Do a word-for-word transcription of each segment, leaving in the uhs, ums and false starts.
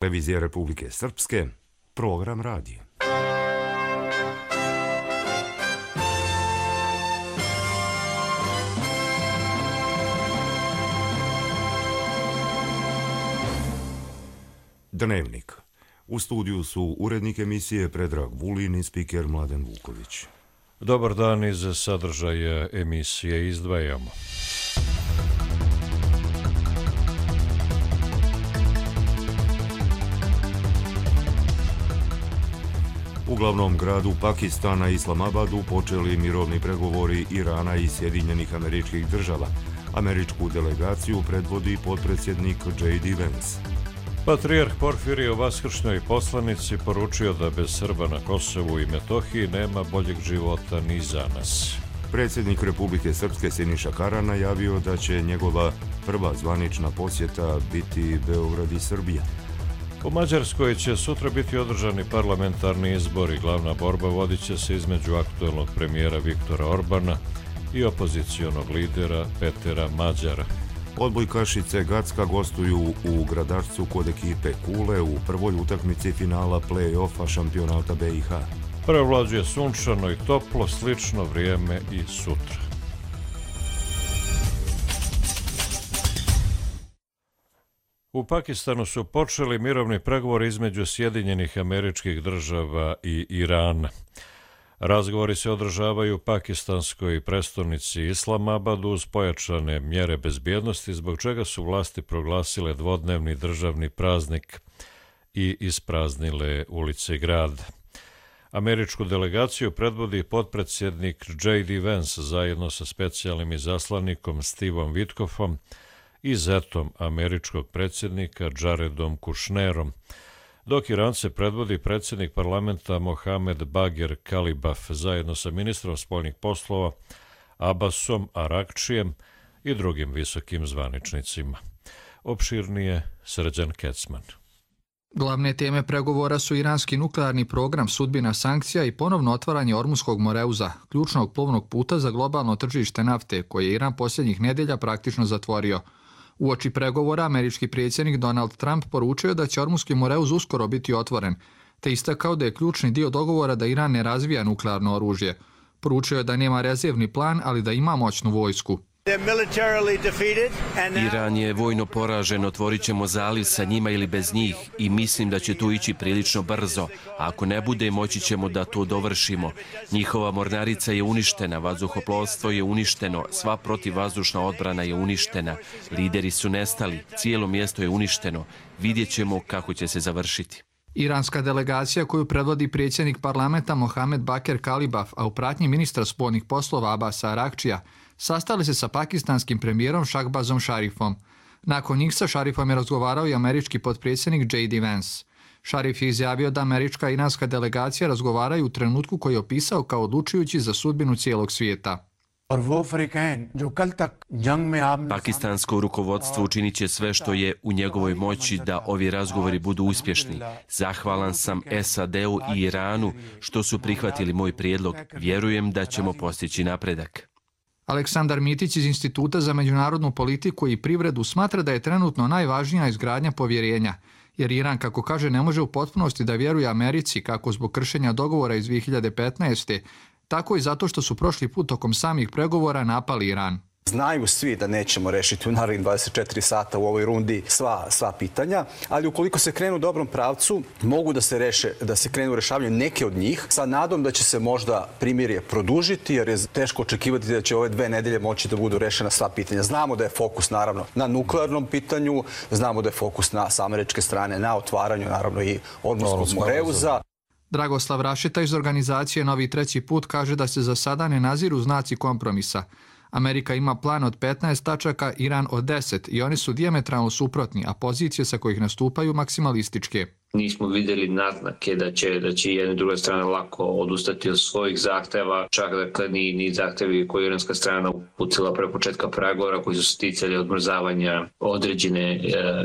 Televizija Republike Srpske, program radi. Dnevnik. U studiju su urednik emisije Predrag Vulin i spiker Mladen Vuković. Dobar dan, iz sadržaja emisije izdvajamo. U glavnom gradu Pakistana, Islamabadu, počeli mirovni pregovori Irana i Sjedinjenih Američkih Država. Američku delegaciju predvodi potpredsjednik J D Vance. Patrijarh Porfirije u vaskršnjoj poslanici poručio da bez Srba na Kosovu i Metohiji nema boljeg života ni za nas. Predsjednik Republike Srpske Siniša Kara najavio da će njegova prva zvanična posjeta biti Beograd i Srbija. U Mađarskoj će sutra biti održani parlamentarni izbori. Glavna borba vodit će se između aktuelnog premijera Viktora Orbana i opozicionog lidera Petera Mađara. Odbojkašice Gacka gostuju u Gradačcu kod ekipe Kule u prvoj utakmici finala play-offa šampionata B i H. Prevlađuje sunčano i toplo, slično vrijeme i sutra. U Pakistanu su počeli mirovni pregovori između Sjedinjenih Američkih Država i Irana. Razgovori se održavaju u pakistanskoj prestonici Islamabadu uz pojačane mjere bezbjednosti, zbog čega su vlasti proglasile dvodnevni državni praznik i ispraznile ulice grada. Američku delegaciju predvodi potpredsjednik J D Vance zajedno sa specijalnim izaslanikom Stevom Witkoffom i zetom američkog predsjednika Jaredom Kushnerom, dok Irance predvodi predsjednik parlamenta Mohamed Bagher Kalibaf zajedno sa ministrom spoljnih poslova Abbasom Arakčijem i drugim visokim zvaničnicima. Opširnije Srđan Kecman. Glavne teme pregovora su iranski nuklearni program, sudbina sankcija i ponovno otvaranje Ormuskog moreuza, ključnog plovnog puta za globalno tržište nafte, koje je Iran posljednjih nedjelja praktično zatvorio. Uoči pregovora, američki predsjednik Donald Trump poručio da će Ormuski moreuz uskoro biti otvoren, te istakao da je ključni dio dogovora da Iran ne razvija nuklearno oružje. Poručio je da nema rezervni plan, ali da ima moćnu vojsku. Iran je vojno poražen, otvorit ćemo zaliv sa njima ili bez njih i mislim da će tu ići prilično brzo. A ako ne bude, moći ćemo da to dovršimo. Njihova mornarica je uništena, vazduhoplovstvo je uništeno, sva protivvazdušna odbrana je uništena, lideri su nestali, cijelo mjesto je uništeno. Vidjet ćemo kako će se završiti. Iranska delegacija koju predvodi predsjednik parlamenta Mohamed Bagher Kalibaf, a u pratnji ministra spoljnih poslova Abbasa Arakčija, sastali se sa pakistanskim premijerom Shahbazom Sharifom. Nakon njih sa Sharifom je razgovarao i američki potpredsjednik J D Vance. Sharif je izjavio da američka i iranska delegacija razgovaraju u trenutku koji je opisao kao odlučujući za sudbinu cijelog svijeta. Pakistansko rukovodstvo učinit će sve što je u njegovoj moći da ovi razgovori budu uspješni. Zahvalan sam S A D-u i Iranu što su prihvatili moj prijedlog. Vjerujem da ćemo postići napredak. Aleksandar Mitić iz Instituta za međunarodnu politiku i privredu smatra da je trenutno najvažnija izgradnja povjerenja, jer Iran, kako kaže, ne može u potpunosti da vjeruje Americi kako zbog kršenja dogovora iz dvije hiljade petnaeste. tako i zato što su prošli put tokom samih pregovora napali Iran. Znaju svi da nećemo rešiti u narednih dvadeset četiri sata u ovoj rundi sva, sva pitanja, ali ukoliko se krenu u dobrom pravcu, mogu da se, reše, da se krenu u rešavanju neke od njih, sa nadom da će se možda primirje produžiti, jer je teško očekivati da će ove dve nedelje moći da budu rešena sva pitanja. Znamo da je fokus, naravno, na nuklearnom pitanju, znamo da je fokus na, sa američke strane na otvaranju, naravno, i Ormuskog moreuza. Dragoslav Rašeta iz organizacije Novi treći put kaže da se za sada ne naziru znaci kompromisa. Amerika ima plan od petnaest tačaka, Iran od deset i oni su dijametralno suprotni, a pozicije sa kojih nastupaju maksimalističke. Nismo vidjeli naznake da će, da će jedna i druga strana lako odustati od svojih zahteva, čak dakle ni, ni zahtevi koje je iranska strana uputila pre početka pregovora koji su se ticali odmrzavanja određene e,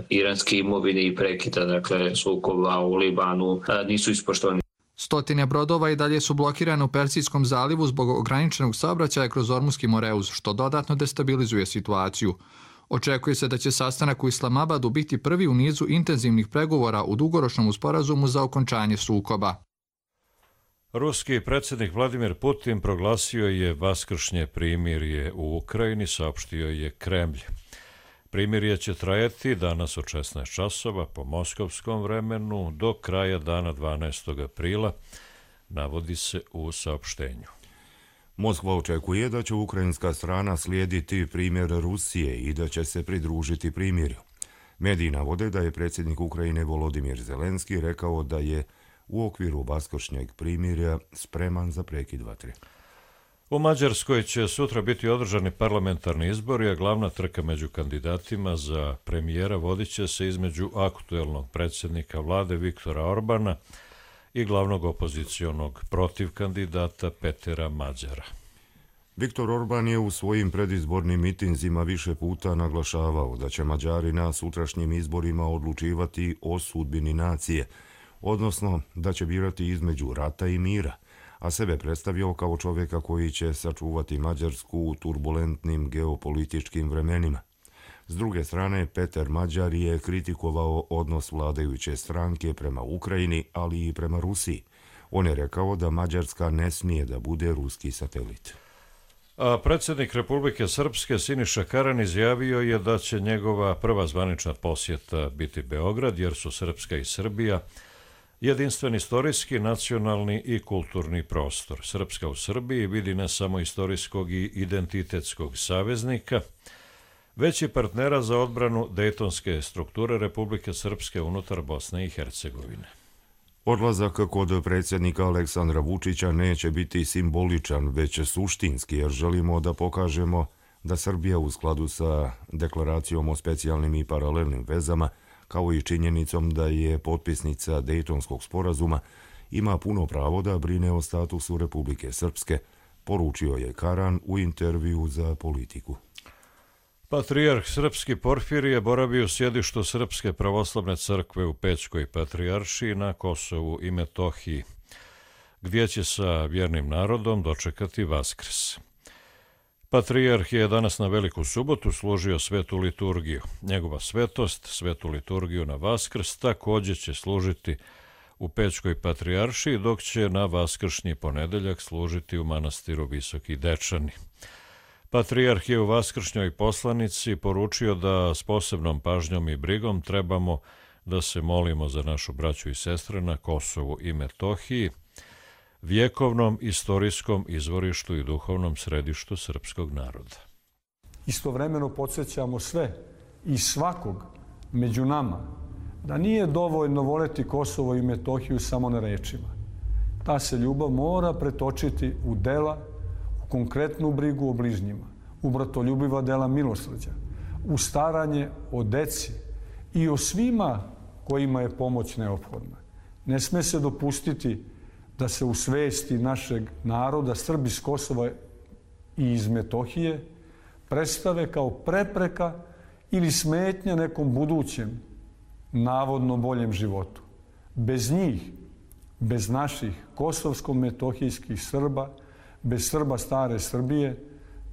iranske imovine i prekida dakle sukoba u Libanu e, nisu ispoštovani. Stotine brodova i dalje su blokirane u Persijskom zalivu zbog ograničenog saobraćaja kroz Ormuski moreuz, što dodatno destabilizuje situaciju. Očekuje se da će sastanak u Islamabadu biti prvi u nizu intenzivnih pregovora u dugoročnom sporazumu za okončanje sukoba. Ruski predsjednik Vladimir Putin proglasio je vaskršnje primirje u Ukrajini, saopštio je Kremlj. Primirje će trajati danas od šesnaest časova po moskovskom vremenu do kraja dana dvanaestog aprila, navodi se u saopštenju. Moskva očekuje da će ukrajinska strana slijediti primjer Rusije i da će se pridružiti primirju. Mediji navode da je predsjednik Ukrajine Volodimir Zelenski rekao da je u okviru vaskršnjeg primirja spreman za prekid vatre. U Mađarskoj će sutra biti održani parlamentarni izbori, a glavna trka među kandidatima za premijera vodit će se između aktuelnog predsjednika vlade Viktora Orbana i glavnog opozicionog protiv kandidata Petera Mađara. Viktor Orban je u svojim predizbornim mitinzima više puta naglašavao da će Mađari na sutrašnjim izborima odlučivati o sudbini nacije, odnosno da će birati između rata i mira, a sebe predstavio kao čovjeka koji će sačuvati Mađarsku u turbulentnim geopolitičkim vremenima. S druge strane, Peter Mađar je kritikovao odnos vladajuće stranke prema Ukrajini, ali i prema Rusiji. On je rekao da Mađarska ne smije da bude ruski satelit. A predsjednik Republike Srpske Siniša Karan izjavio je da će njegova prva zvanična posjeta biti Beograd, jer su Srpska i Srbija jedinstven istorijski, nacionalni i kulturni prostor. Srpska u Srbiji vidi ne samo istorijskog i identitetskog saveznika, već i partnera za odbranu dejtonske strukture Republike Srpske unutar Bosne i Hercegovine. Odlazak kod predsjednika Aleksandra Vučića neće biti simboličan, već suštinski, jer želimo da pokažemo da Srbija u skladu sa deklaracijom o specijalnim i paralelnim vezama, kao i činjenicom da je potpisnica Dejtonskog sporazuma, ima puno pravo da brine o statusu Republike Srpske, poručio je Karan u intervju za Politiku. Patrijarh srpski Porfirije boravi u sjedištu Srpske pravoslavne crkve u Pećkoj patrijaršiji na Kosovu i Metohiji, gdje će sa vjernim narodom dočekati Vaskrs. Patrijarh je danas na Veliku subotu služio svetu liturgiju. Njegova svetost, svetu liturgiju na Vaskrs, također će služiti u Pećkoj patrijaršiji, dok će na vaskršnji ponedeljak služiti u manastiru Visoki Dečani. Patrijarh je u vaskršnjoj poslanici poručio da s posebnom pažnjom i brigom trebamo da se molimo za našu braću i sestre na Kosovu i Metohiji, vjekovnom istorijskom izvorištu i duhovnom središtu srpskog naroda. Istovremeno podsjećamo sve i svakog među nama da nije dovoljno voleti Kosovo i Metohiju samo na rečima. Ta se ljubav mora pretočiti u dela, u konkretnu brigu o bližnjima, u bratoljubiva dela milosrđa, u staranje o deci i o svima kojima je pomoć neophodna. Ne sme se dopustiti da se u svesti našeg naroda Srbi iz Kosova i iz Metohije predstave kao prepreka ili smetnja nekom budućem, navodno boljem životu. Bez njih, bez naših kosovsko-metohijskih Srba, bez Srba stare Srbije,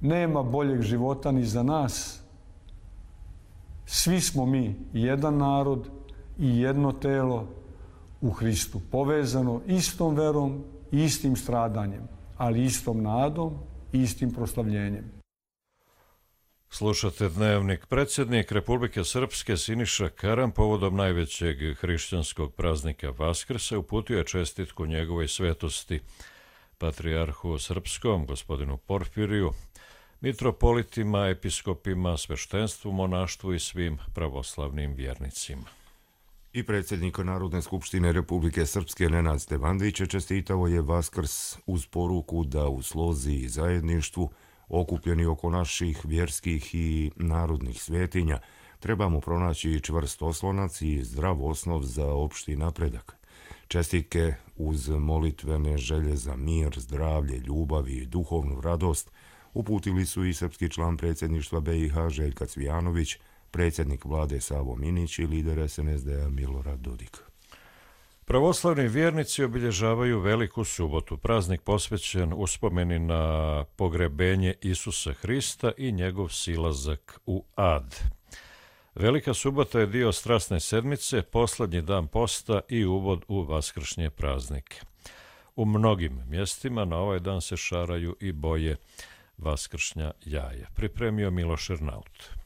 nema boljeg života ni za nas. Svi smo mi jedan narod i jedno telo u Hristu, povezano istom verom i istim stradanjem, ali istom nadom i istim proslavljenjem. Slušate Dnevnik. Predsjednik Republike Srpske Siniša Karan povodom najvećeg hrišćanskog praznika Vaskrsa uputio je čestitku njegovoj svetosti patrijarhu srpskom, gospodinu Porfiriju, mitropolitima, episkopima, sveštenstvu, monaštvu i svim pravoslavnim vjernicima. I predsjednik Narodne skupštine Republike Srpske Nenad Stevandić čestitao je Vaskrs uz poruku da u slozi i zajedništvu, okupljeni oko naših vjerskih i narodnih svetinja, trebamo pronaći čvrst oslonac i zdrav osnov za opšti napredak. Čestitke uz molitvene želje za mir, zdravlje, ljubav i duhovnu radost uputili su i srpski član predsjedništva B i H Željka Cvijanović, predsjednik vlade Savo Minić i lider S N S D-a Milorad Dodik. Pravoslavni vjernici obilježavaju Veliku subotu, praznik posvećen uspomeni na pogrebenje Isusa Hrista i njegov silazak u ad. Velika subota je dio strasne sedmice, posljednji dan posta i uvod u vaskršnje praznike. U mnogim mjestima na ovaj dan se šaraju i boje vaskršnja jaja. Pripremio Miloš Ernaut.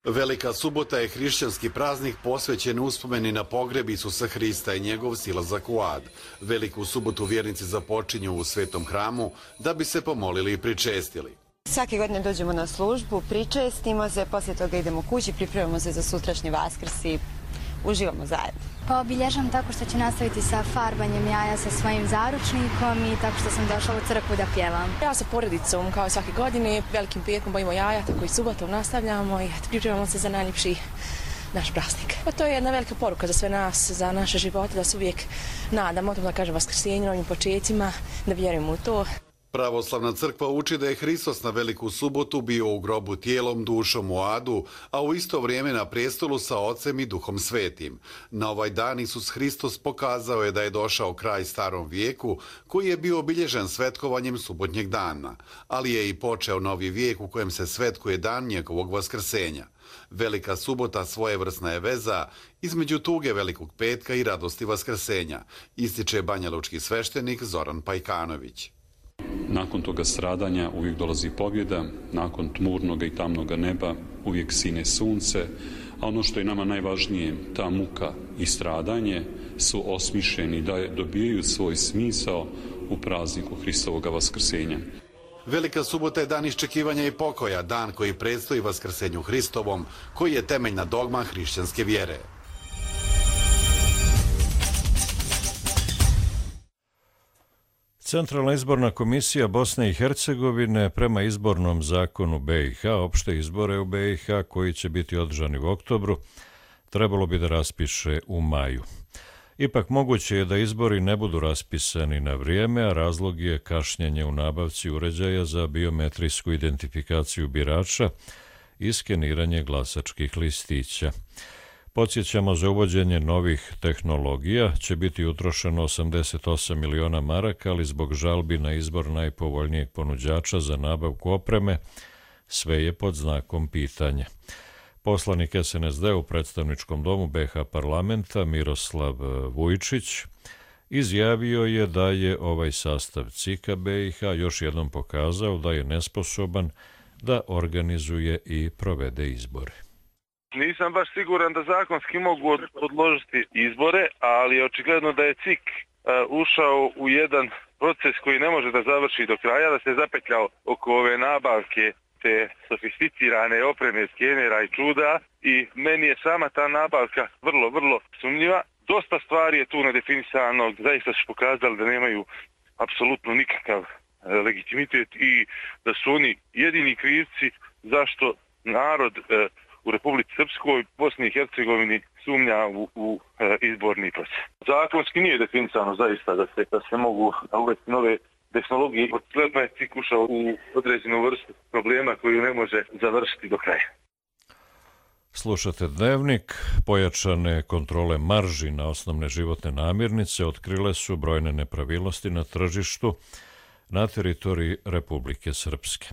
Velika subota je hrišćanski praznik posvećen uspomeni na pogreb Isusa Hrista i njegov silazak u ad. Veliku subotu vjernici započinju u svetom hramu da bi se pomolili i pričestili. Svake godine dođemo na službu, pričestimo se, poslije toga idemo kući, pripremamo se za sutrašnji Vaskrs i uživamo zajedno. Pa obilježam tako što ću nastaviti sa farbanjem jaja sa svojim zaručnikom i tako što sam došla u crkvu da pjevam. Ja sa porodicom kao svake godine, velikim petkom bojimo jaja, tako i subotom nastavljamo i pripremamo se za najljepši naš praznik. Pa to je jedna velika poruka za sve nas, za naše živote, da se uvijek nadamo, da kažem vaskrsenju, novim početcima, da vjerujemo u to. Pravoslavna crkva uči da je Hristos na Veliku subotu bio u grobu tijelom, dušom u adu, a u isto vrijeme na prestolu sa Ocem i Duhom Svetim. Na ovaj dan Isus Hristos pokazao je da je došao kraj starom vijeku, koji je bio obilježen svetkovanjem subotnjeg dana, ali je i počeo novi vijek u kojem se svetkuje dan njegovog vaskrsenja. Velika subota svojevrsna je veza između tuge Velikog petka i radosti vaskrsenja, ističe banjalučki sveštenik Zoran Pajkanović. Nakon toga stradanja uvijek dolazi pobjeda, nakon tmurnog i tamnog neba uvijek sine sunce, a ono što je nama najvažnije, ta muka i stradanje su osmišljeni da dobijaju svoj smisao u prazniku Hristovog vaskrsenja. Velika subota je dan iščekivanja i pokoja, dan koji predstoji vaskrsenju Hristovom, koji je temeljna dogma hrišćanske vjere. Centralna izborna komisija Bosne i Hercegovine prema izbornom zakonu be i ha, opšte izbore u be i ha koji će biti održani u oktobru, trebalo bi da raspiše u maju. Ipak moguće je da izbori ne budu raspisani na vrijeme, a razlog je kašnjenje u nabavci uređaja za biometrijsku identifikaciju birača i skeniranje glasačkih listića. Podsjećamo, za uvođenje novih tehnologija će biti utrošeno osamdeset osam miliona maraka, ali zbog žalbi na izbor najpovoljnijeg ponuđača za nabavku opreme sve je pod znakom pitanja. Poslanik es en es de u predstavničkom domu be ha parlamenta Miroslav Vujčić izjavio je da je ovaj sastav cika be i ha još jednom pokazao da je nesposoban da organizuje i provede izbore. Nisam baš siguran da zakonski mogu odložiti izbore, ali očigledno da je cik uh, ušao u jedan proces koji ne može da završi do kraja, da se zapetljao oko ove nabavke te sofisticirane opreme, skenera i čuda i meni je sama ta nabavka vrlo, vrlo sumnjiva. Dosta stvari je tu nedefinisano, zaista su pokazali da nemaju apsolutno nikakav uh, legitimitet i da su oni jedini krivci zašto narod uh, u Republici Srpskoj, Bosni i Hercegovini sumnja u, u e, izborni proces. Zakonski nije definisano zaista da se, da se mogu uvesti nove tehnologije. Očigledno je cik ušao u određenu vrstu problema koju ne može završiti do kraja. Slušate Dnevnik. Pojačane kontrole marži na osnovne životne namirnice otkrile su brojne nepravilnosti na tržištu na teritoriji Republike Srpske.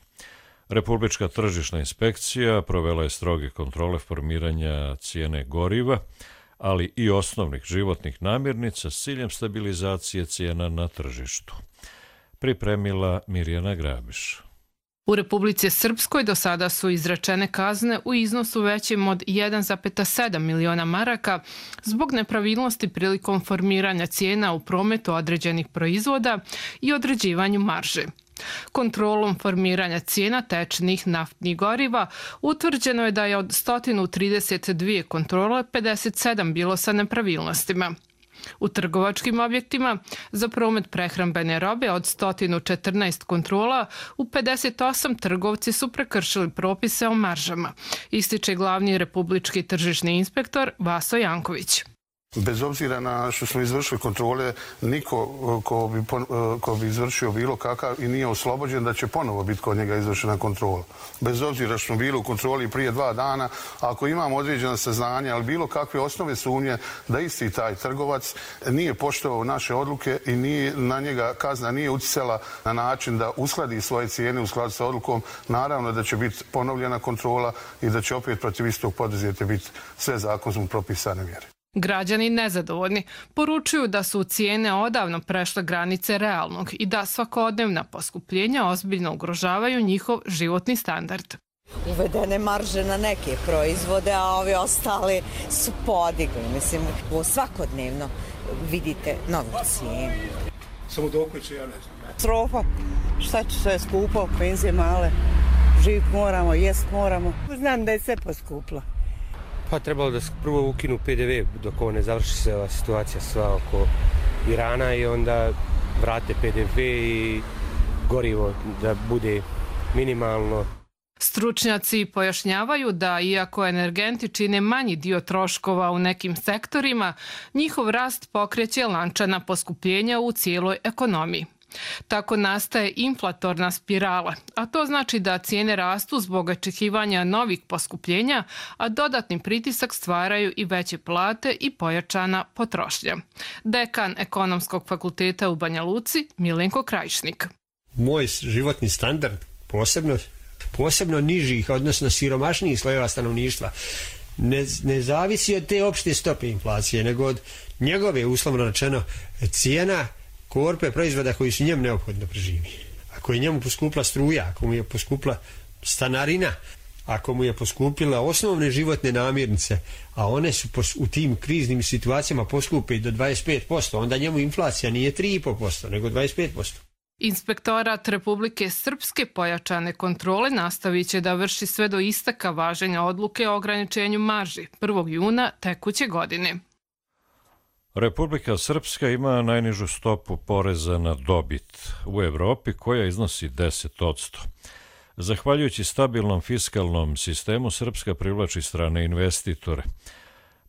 Republička tržišna inspekcija provela je stroge kontrole formiranja cijene goriva, ali i osnovnih životnih namirnica s ciljem stabilizacije cijena na tržištu. Pripremila Mirjana Grabiš. U Republici Srpskoj do sada su izrečene kazne u iznosu većem od jedan zarez sedam miliona maraka zbog nepravilnosti prilikom formiranja cijena u prometu određenih proizvoda i određivanju marže. Kontrolom formiranja cijena tečnih naftnih goriva utvrđeno je da je od sto trideset dvije kontrole pedeset sedam bilo sa nepravilnostima. U trgovačkim objektima za promet prehrambene robe od sto četrnaest kontrola u pedeset osam trgovci su prekršili propise o maržama, ističe glavni republički tržišni inspektor Vaso Janković. Bez obzira na što smo izvršili kontrole, niko ko bi, ko bi izvršio bilo kakav i nije oslobođen da će ponovo biti kod njega izvršena kontrola. Bez obzira što smo bili u kontroli prije dva dana, ako imamo određena saznanja, ali bilo kakve osnove sumnje da isti taj trgovac nije poštovao naše odluke i nije, na njega kazna nije utjecala na način da uskladi svoje cijene u skladu sa odlukom, naravno da će biti ponovljena kontrola i da će opet protiv istog poduzetja biti sve zakonom propisane mjere. Građani nezadovoljni poručuju da su cijene odavno prešle granice realnog i da svakodnevna poskupljenja ozbiljno ugrožavaju njihov životni standard. Uvedene marže na neke proizvode, a ovi ostali su podigli. Mislim, svakodnevno vidite novu cijenu. Samo dok će, ja ne znam. Strofa, šta će sve skupo, penzije male, živit moramo, jest moramo. Znam da je sve poskuplo. Pa trebalo da prvo ukinu P D V dok ovo ne završi se ova situacija sva oko Irana i onda vrate P D V i gorivo da bude minimalno. Stručnjaci pojašnjavaju da iako energenti čine manji dio troškova u nekim sektorima, njihov rast pokreće lančana poskupljenja u cijeloj ekonomiji. Tako nastaje inflatorna spirala, a to znači da cijene rastu zbog očekivanja novih poskupljenja, a dodatni pritisak stvaraju i veće plate i pojačana potrošnja. Dekan Ekonomskog fakulteta u Banja Luci, Milenko Krajišnik. Moj životni standard, posebno, posebno nižih, odnosno siromašnijih slojeva stanovništva, ne, ne zavisi od te opšte stope inflacije, nego od njegove, uslovno rečeno, cijena korpe proizvoda koji su njemu neophodno preživi. Ako je njemu poskupla struja, ako mu je poskupla stanarina, ako mu je poskupila osnovne životne namirnice, a one su u tim kriznim situacijama poskupe do dvadeset pet posto, onda njemu inflacija nije tri i po posto, nego dvadeset pet posto. Inspektorat Republike Srpske pojačane kontrole nastavit će da vrši sve do isteka važenja odluke o ograničenju marži prvog juna tekuće godine. Republika Srpska ima najnižu stopu poreza na dobit u Evropi koja iznosi deset posto. Zahvaljujući stabilnom fiskalnom sistemu, Srpska privlači strane investitore.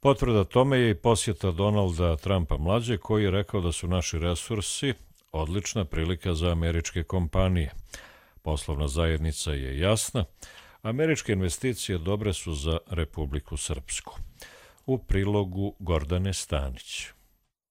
Potvrda tome je i posjeta Donalda Trumpa mlađe koji je rekao da su naši resursi odlična prilika za američke kompanije. Poslovna zajednica je jasna, američke investicije dobre su za Republiku Srpsku. U prilogu Gordane Stanić.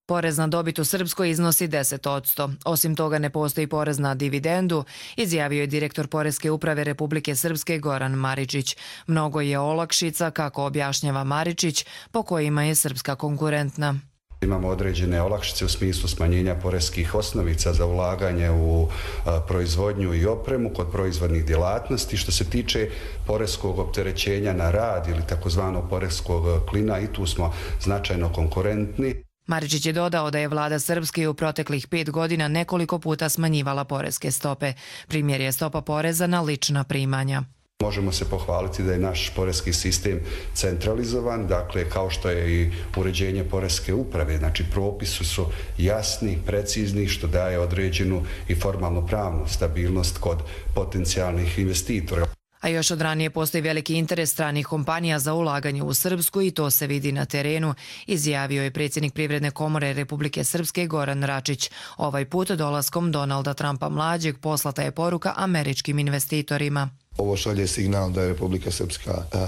Porez na dobit u Srpskoj iznosi deset posto. Osim toga ne postoji porez na dividendu, izjavio je direktor Poreske uprave Republike Srpske Goran Maričić. Mnogo je olakšica, kako objašnjava Maričić, po kojima je Srpska konkurentna. Imamo određene olakšice u smislu smanjenja poreskih osnovica za ulaganje u a, proizvodnju i opremu kod proizvodnih djelatnosti. Što se tiče poreskog opterećenja na rad ili takozvanog poreskog klina, i tu smo značajno konkurentni. Maričić je dodao da je vlada Srpske u proteklih pet godina nekoliko puta smanjivala poreske stope. Primjer je stopa poreza na lična primanja. Možemo se pohvaliti da je naš poreski sistem centralizovan, dakle kao što je i uređenje poreske uprave, znači propisi su jasni, precizni, što daje određenu i formalno pravnu stabilnost kod potencijalnih investitora. A još od ranije postoji veliki interes stranih kompanija za ulaganje u Srpsku i to se vidi na terenu, izjavio je predsjednik Privredne komore Republike Srpske Goran Račić. Ovaj put dolaskom Donalda Trumpa mlađeg poslata je poruka američkim investitorima. Ovo šalje signal da je Republika Srpska uh,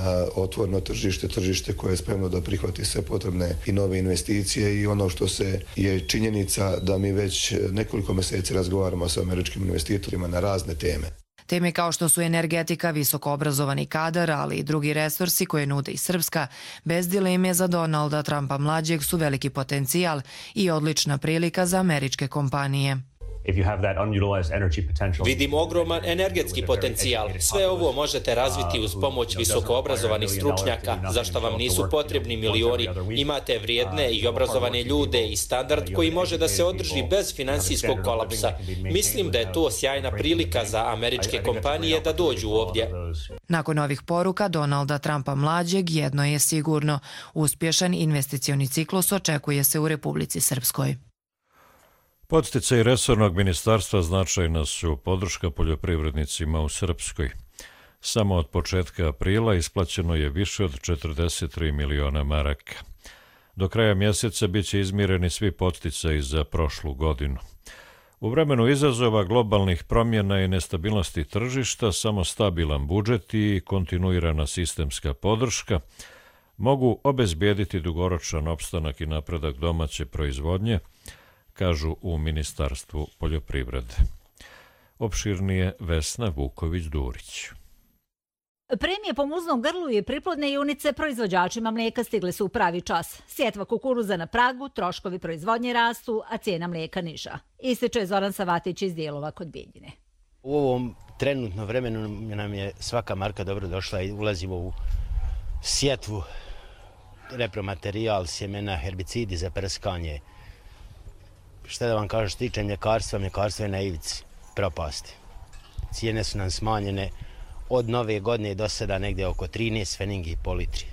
otvoreno tržište, tržište koje je spremno da prihvati sve potrebne i nove investicije i ono što se je činjenica da mi već nekoliko mjeseci razgovaramo sa američkim investitorima na razne teme. Teme kao što su energetika, visoko obrazovani kadar, ali i drugi resursi koje nude i Srpska, bez dileme za Donalda Trumpa mlađeg su veliki potencijal i odlična prilika za američke kompanije. Vidim ogroman energetski potencijal. Sve ovo možete razviti uz pomoć visokoobrazovanih stručnjaka, za što vam nisu potrebni milioni. Imate vrijedne i obrazovane ljude i standard koji može da se održi bez finansijskog kolapsa. Mislim da je to sjajna prilika za američke kompanije da dođu ovdje. Nakon ovih poruka Donalda Trumpa mlađeg jedno je sigurno. Uspješan investicioni ciklus očekuje se u Republici Srpskoj. Podsticaji resornog ministarstva značajna su podrška poljoprivrednicima u Srpskoj. Samo od početka aprila isplaćeno je više od četrdeset tri miliona maraka. Do kraja mjeseca bit će izmireni svi podsticaji za prošlu godinu. U vremenu izazova globalnih promjena i nestabilnosti tržišta, samo stabilan budžet i kontinuirana sistemska podrška mogu obezbijediti dugoročan opstanak i napredak domaće proizvodnje, kažu u Ministarstvu poljoprivrede. Opširnije Vesna Vuković-Durić. Premije po muznom grlu i priplodne junice proizvođačima mlijeka stigle su u pravi čas. Sjetva kukuruza na pragu, troškovi proizvodnje rastu, a cijena mlijeka niža. Ističe Zoran Savatić iz Dijelova kod Bijeljine. U ovom trenutnom vremenu nam je svaka marka dobro došla i ulazimo u sjetvu, repromaterijal, sjemena, herbicidi za prskanje. Šta da vam kažem, što tiče mljekarstva, mljekarstvo je na ivici propasti. Cijene su nam smanjene od nove godine do sada negdje oko trinaest pfenningi po litri.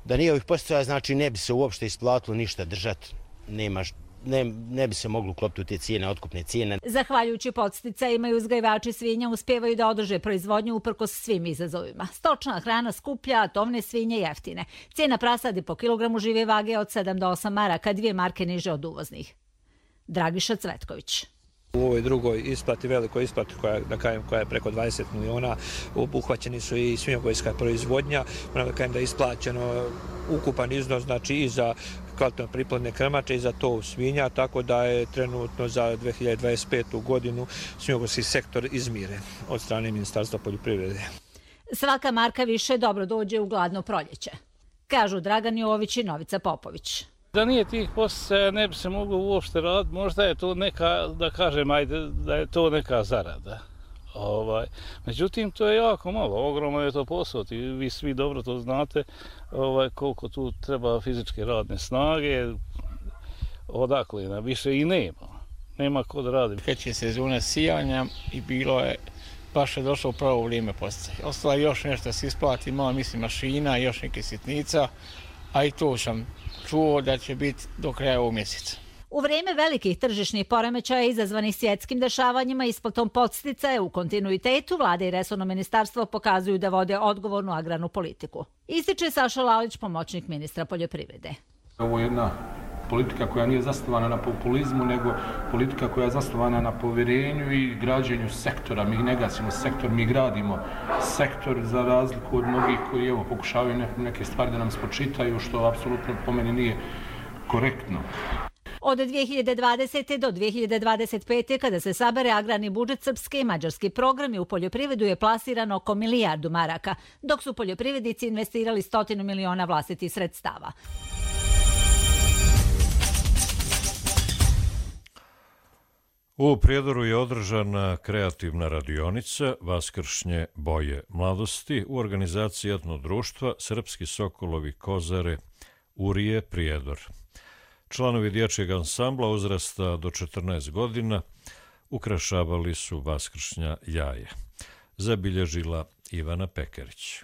Da nije ovih postoja, znači ne bi se uopšte isplatilo ništa držati, nema, ne, ne bi se moglo uklopiti u te cijene, otkupne cijene. Zahvaljujući podsticajima i uzgajivači svinja uspijevaju da održe proizvodnju uprkos svim izazovima. Stočna hrana skuplja, a tovne svinje jeftine. Cijena prasadi po kilogramu žive vage od sedam do osam maraka, dvije marke niže od uvoznih. Dragiša Cvetković. U ovoj drugoj isplati, velikoj isplati koja, da kajem, koja je preko dvadeset miliona, obuhvaćeni su i svinjogojska proizvodnja, moram da kajem da je isplaćeno ukupan iznos, znači i za kvalitetno priplodne krmače i za tov svinja, tako da je trenutno za dve hiljade dvadeset petu godinu svinjogojski sektor izmiren od strane Ministarstva poljoprivrede. Svaka marka više dobro dođe u gladno proljeće, kažu Dragan Jović i Novica Popović. Da nije tih posticaja ne bi se moglo uopšte raditi, možda je to neka, da kažem, ajde, da je to neka zarada. Ovaj, međutim, to je jako malo, ogromno je to posao i vi svi dobro to znate ovaj, koliko tu treba fizičke radne snage, odakle na više i nema, nema ko da radi. Kreće sezona sijanja i bilo je, baš je došlo u pravo vrijeme posticaj. Ostalo je još nešto se isplati, malo mislim mašina, još neke sitnica, a i to sam čuo da će biti do kraja ovog mjeseca. U vrijeme velikih tržišnih poremećaja izazvanih svjetskim dešavanjima isplatom podsticaja u kontinuitetu, vlada i resorno ministarstvo pokazuju da vode odgovornu agrarnu politiku. Ističe Saša Lalić, pomoćnik ministra poljoprivrede. Ovo je jedna politika koja nije zasnovana na populizmu, nego politika koja je zasnovana na povjerenju i građenju sektora. Mi ne gasimo sektor, mi gradimo sektor za razliku od mnogih koji evo, pokušavaju neke stvari da nam spočitaju, što apsolutno po meni nije korektno. Od dvije hiljade dvadesete. do dvije hiljade dvadeset pete. kada se sabere agrarni budžet, srpske i mađarski programi u poljoprivredu je plasirano oko milijardu maraka, dok su poljoprivrednici investirali stotinu miliona vlastitih sredstava. U Prijedoru je održana kreativna radionica Vaskršnje boje mladosti u organizaciji etno društva Srpski sokolovi kozare Urije Prijedor. Članovi dječjeg ansambla uzrasta do četrnaest godina ukrašavali su vaskršnja jaja. Zabilježila Ivana Pekarić.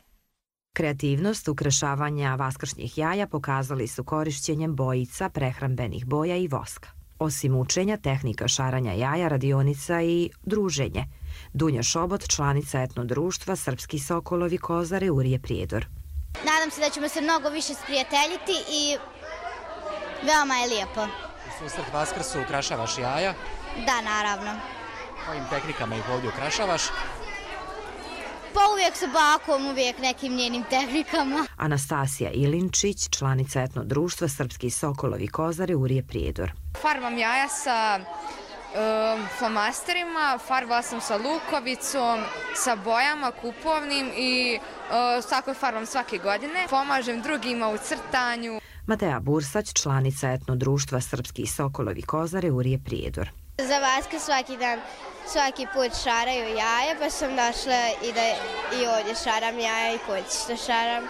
Kreativnost ukrašavanja vaskršnjih jaja pokazali su korišćenjem bojica, prehrambenih boja i voska. Osim učenja, tehnika šaranja jaja, radionica i druženje. Dunja Šobot, članica etno društva Srpski sokolovi kozare Urije Prijedor. Nadam se da ćemo se mnogo više sprijateljiti i veoma je lijepo. U susret Vaskrsu ukrašavaš jaja? Da, naravno. Kojim tehnikama ih ovdje ukrašavaš? Pa uvijek sa bakom, uvijek nekim njenim tehnikama. Anastasija Ilinčić, članica etno društva Srpski sokolovi kozare Urije Prijedor. Farbam jaja sa um, flomasterima, farbala sam sa lukovicom, sa bojama kupovnim i uh, tako farbam svake godine. Pomažem drugima u crtanju. Mateja Bursać, članica etno društva Srpski sokolovi kozare Urije Prijedor. Za Vaskrs svaki dan, svaki put šaraju jaja, pa sam došla i da i ovdje šaram jaja i kući što šaram.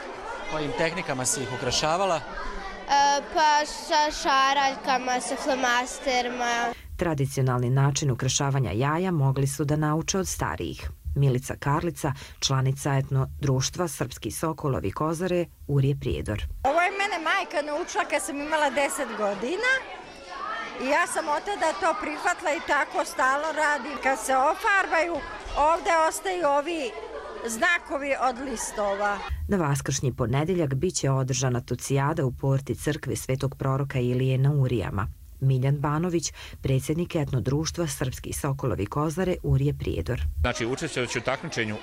Kojim tehnikama si ih ukrašavala? E, pa sa šaraljkama, sa flomasterima. Tradicionalni način ukrašavanja jaja mogli su da nauče od starijih. Milica Karlica, članica etno društva Srpski sokolovi kozare Urije Prijedor. Ovo je mene majka naučila kad sam imala deset godina. I ja sam od tada to prihvatila i tako stalno radim. Kad se ofarbaju, ovdje ostaju ovi znakovi od listova. Na vaskršnji ponedeljak biće održana tucijada u porti crkve Svetog proroka Ilije na Urijama. Miljan Banović, predsjednik etno društva Srpski Sokolovi Kozare, Urije Prijedor. Znači, učestvujući u takmičenju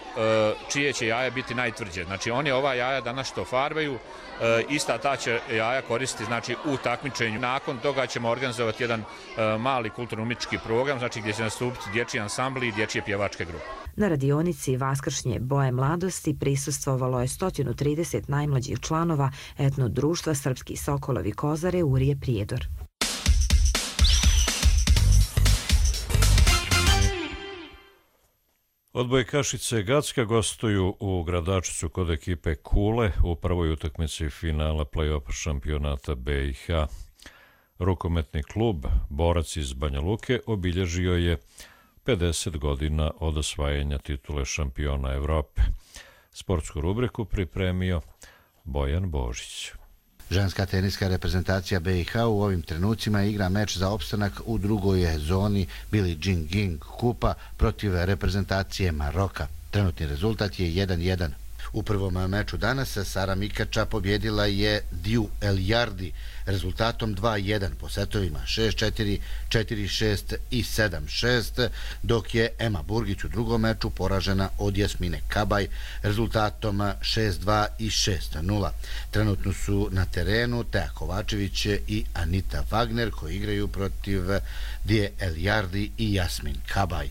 čije će jaja biti najtvrđe. Znači, oni ova jaja danas što farbaju, ista ta će jaja koristiti znači, u takmičenju. Nakon toga ćemo organizovati jedan mali kulturno-umetnički program, znači gdje će nastupiti dječji ansambli i dječje pjevačke grupe. Na radionici Vaskršnje boje mladosti prisustvovalo je sto trideset najmlađih članova etno društva Srpski Sokolovi Kozare, Urije Prijedor. Odbojkašice Gacka gostuju u Gradačcu kod ekipe Kule u prvoj utakmici finala play-off šampionata B i H. Rukometni klub Borac iz Banja Luke obilježio je pedeset godina od osvajanja titule šampiona Evrope. Sportsku rubriku pripremio Bojan Božić. Ženska teniska reprezentacija B i H u ovim trenucima igra meč za opstanak u drugoj zoni Billie Jean King kupa protiv reprezentacije Maroka. Trenutni rezultat je jedan jedan. U prvom meču danas Sara Mikača pobjedila je Diu Eljardi rezultatom dva jedan po setovima šest četiri, četiri šest i sedam šest, dok je Ema Burgić u drugom meču poražena od Jasmine Kabaj rezultatom šest dva i šest nula. Trenutno su na terenu Teja Kovačević i Anita Wagner koji igraju protiv Dije Eljardi i Jasmin Kabaj.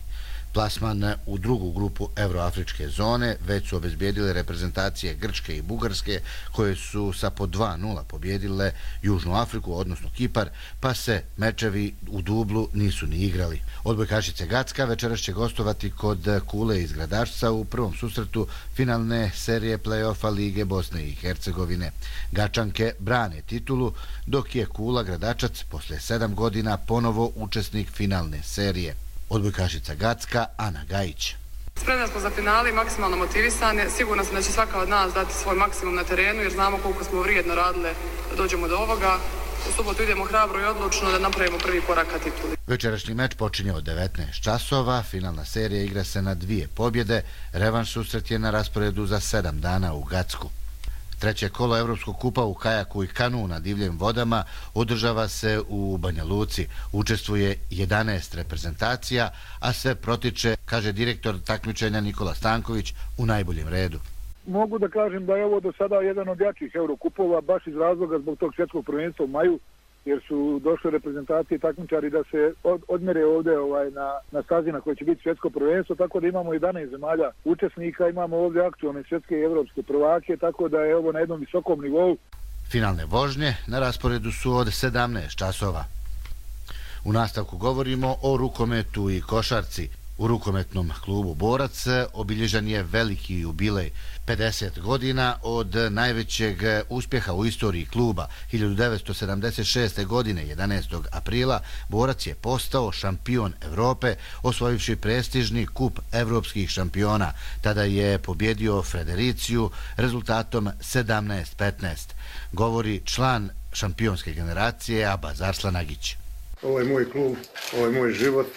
Plasman u drugu grupu Evroafričke zone već su obezbijedile reprezentacije Grčke i Bugarske koje su sa po dva nula pobjedile Južnu Afriku, odnosno Kipar, pa se mečevi u dublu nisu ni igrali. Odbojkašice Gacka večeras će gostovati kod Kule iz Gradačca u prvom susretu finalne serije play-offa Lige Bosne i Hercegovine. Gačanke brane titulu, dok je Kula Gradačac posle sedam godina ponovo učesnik finalne serije. Odbojkašica Gacka, Ana Gajić. Spremni smo za finale i maksimalno motivisani. Sigurno sam da će svaka od nas dati svoj maksimum na terenu jer znamo koliko smo vrijedno radile da dođemo do ovoga. U subotu idemo hrabro i odlučno da napravimo prvi korak ka tituli. Večerašnji meč počinje od devetnaest časova. Finalna serija igra se na dvije pobjede. Revanš susret je na rasporedu za sedam dana u Gacku. Treće kolo Evropskog kupa u kajaku i kanu na divljim vodama održava se u Banja Luci. Učestvuje jedanaest reprezentacija, a sve protiče, kaže direktor takmičenja Nikola Stanković, u najboljem redu. Mogu da kažem da je ovo do sada jedan od jačih Eurokupova, baš iz razloga zbog tog svjetskog prvenstva u maju, jer su došle reprezentacije i takmičari da se od, odmere ovdje ovaj, na, na stazi na kojoj će biti svjetsko prvenstvo, tako da imamo jedanaest zemalja učesnika, imamo ovdje aktualne svjetske i evropske prvake, tako da je ovo na jednom visokom nivou. Finalne vožnje na rasporedu su od sedamnaest časova. U nastavku govorimo o rukometu i košarci. U rukometnom klubu Borac obilježan je veliki jubilej, pedeset godina od najvećeg uspjeha u istoriji kluba. hiljadu devetsto sedamdeset šeste. godine, jedanaestog aprila, Borac je postao šampion Evrope, osvojivši prestižni kup evropskih šampiona. Tada je pobjedio Fredericiju rezultatom sedamnaest petnaest. Govori član šampionske generacije Abaz Arslanagić. Ovo je moj klub, ovo je moj život.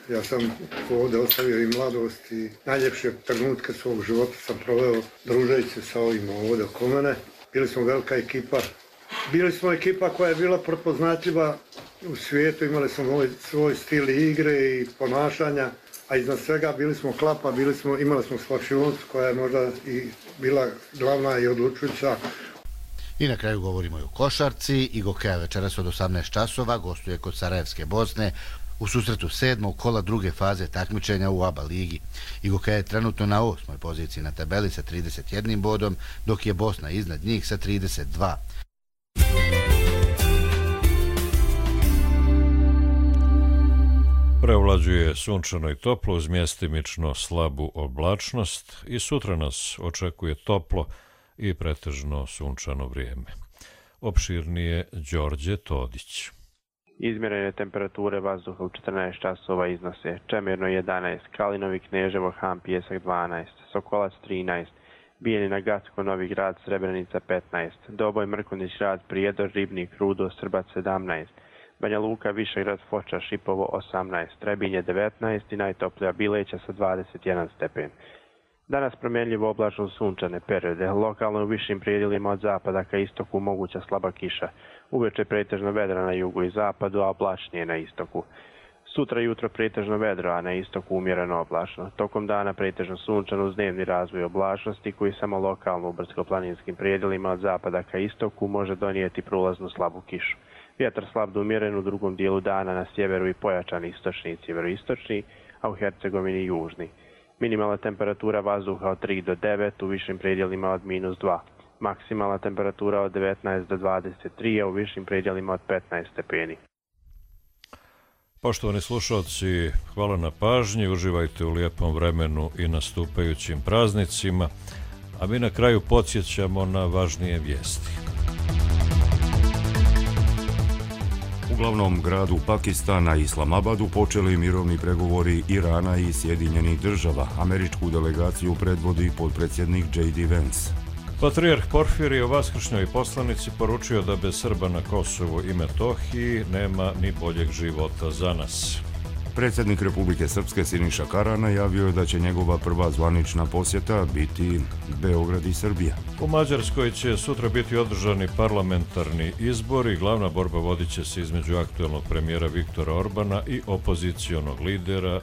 Ja sam ovdje ostavio i mladost i najljepše trenutke svog života sam proveo družeći se sa ovima ovdje oko mene. Bili smo velika ekipa. Bili smo ekipa koja je bila prepoznatljiva u svijetu, imali smo svoj, svoj stil igre i ponašanja, a iznad svega bili smo klapa, bili smo, imali smo slačionicu koja je možda i bila glavna i odlučujuća. I na kraju govorimo i o košarci. Igokeja večeras od osamnaest časova gostuje kod Sarajevske Bosne u susretu sedmog kola druge faze takmičenja u ABA ligi. Igokeja je trenutno na osmoj poziciji na tabeli sa trideset jednim bodom, dok je Bosna iznad njih sa trideset dva. Prevlađuje sunčano i toplo uz mjestimično slabu oblačnost i sutra nas očekuje toplo i pretežno sunčano vrijeme. Opširnije Đorđe Todić. Izmjerene temperature vazduha u četrnaest časova iznose Čemirno jedanaest, Kalinovi Kneževo, Han Pijesak dvanaest, Sokolac trinaest, Bijeljina Gacko, Novi Grad, Srebrenica petnaest, Doboj, Mrkonjić Grad, Prijedor, Ribnik, Rudo, Srbac sedamnaest, Banja Luka, Višegrad, Foča, Šipovo osamnaest, Trebinje devetnaest i najtoplija Bileća sa dvadeset jedan stepen. Danas promjenljivo oblačno sunčane periode, lokalno u višim predjelima od zapada ka istoku moguća slaba kiša. Uveče pretežno vedra na jugu i zapadu, a oblačnije na istoku. Sutra jutro pretežno vedro, a na istoku umjereno oblačno. Tokom dana pretežno sunčano uz dnevni razvoj oblačnosti koji samo lokalno u brdsko-planinskim predjelima od zapada ka istoku može donijeti prolaznu slabu kišu. Vjetar slab do umjeren u drugom dijelu dana na sjeveru i pojačan istočni i sjeveroistočni, a u Hercegovini južni. Minimalna temperatura vazduha od tri do devet, u višim predjelima od minus dva. Maksimalna temperatura od devetnaest do dvadeset tri, a u višim predjelima od petnaest stepeni. Poštovani slušalci, hvala na pažnji, uživajte u lijepom vremenu i nastupajućim praznicima, a mi na kraju podsjećamo na važnije vijesti. U glavnom gradu Pakistana, Islamabadu, počeli mirovni pregovori Irana i Sjedinjenih država. Američku delegaciju predvodi potpredsjednik J D Vance. Patrijarh Porfirije u vaskršnjoj poslanici poručio da bez Srba na Kosovu i Metohiji nema ni boljeg života za nas. Predsjednik Republike Srpske Siniša Kara najavio je da će njegova prva zvanična posjeta biti Beograd i Srbija. U Mađarskoj će sutra biti održani parlamentarni izbori. Glavna borba vodit će se između aktuelnog premijera Viktora Orbana i opozicionog lidera